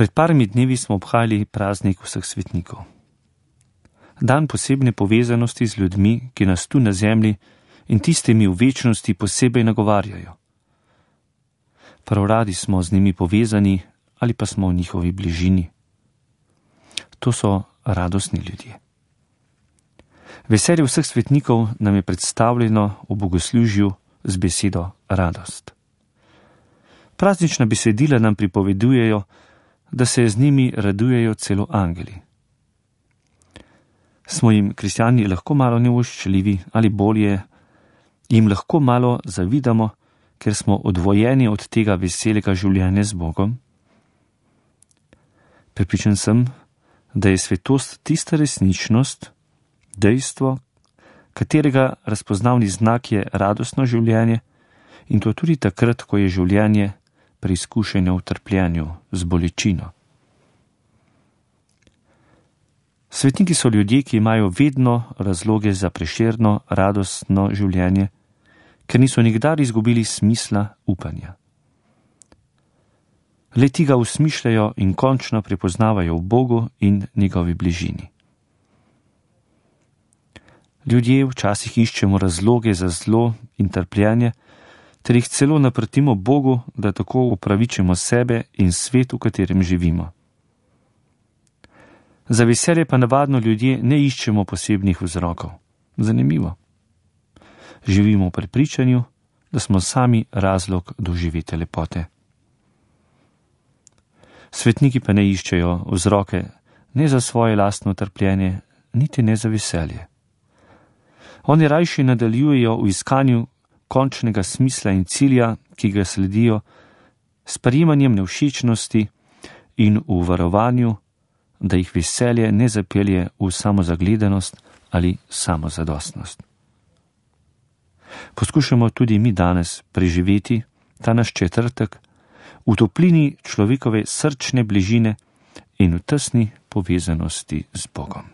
Pred parmi dnevi smo obhajali praznik vseh svetnikov. Dan posebne povezanosti z ljudmi, ki nas tu na zemlji in tistimi v večnosti posebej nagovarjajo. Prav radi smo z njimi povezani ali pa smo v njihovi bližini. To so radostni ljudje. Veselje vseh svetnikov nam je predstavljeno v bogoslužju z besedo radost. Praznična besedila nam pripovedujejo, da se z njimi radujejo celo angeli. Smo jim kristjani lahko malo nevoščljivi ali bolje, jim lahko malo zavidamo, ker smo odvojeni od tega veselega življenja z Bogom? Prepričan sem, da je svetost tista resničnost, dejstvo, katerega razpoznavni znak je radostno življenje, in to tudi takrat, ko je življenje preizkušeno v trpljenju z bolečino. Svetniki so ljudje, ki imajo vedno razloge za prešerno, radostno življenje, ker niso nikdar izgubili smisla upanja. Le-ti ga usmišljajo in končno prepoznavajo v Bogu in njegovi bližini. Ljudje včasih iščemo razloge za zlo in trpljenje, ter jih celo naprtimo Bogu, da tako upravičimo sebe in svet, v katerem živimo. Za veselje pa navadno ljudje ne iščemo posebnih vzrokov. Zanimivo. Živimo v prepričanju, da smo sami razlog doživete lepote. Svetniki pa ne iščejo vzroke ne za svoje lastno trpljenje, niti ne za veselje. Oni rajši nadaljujejo v iskanju končnega smisla in cilja, ki ga sledijo, s sprejemanjem nevšečnosti in v varovanju, da jih veselje ne zapelje v samozagledanost ali samozadostnost. Poskušamo tudi mi danes preživeti ta naš četrtek v toplini človekove srčne bližine in v tesni povezanosti z Bogom.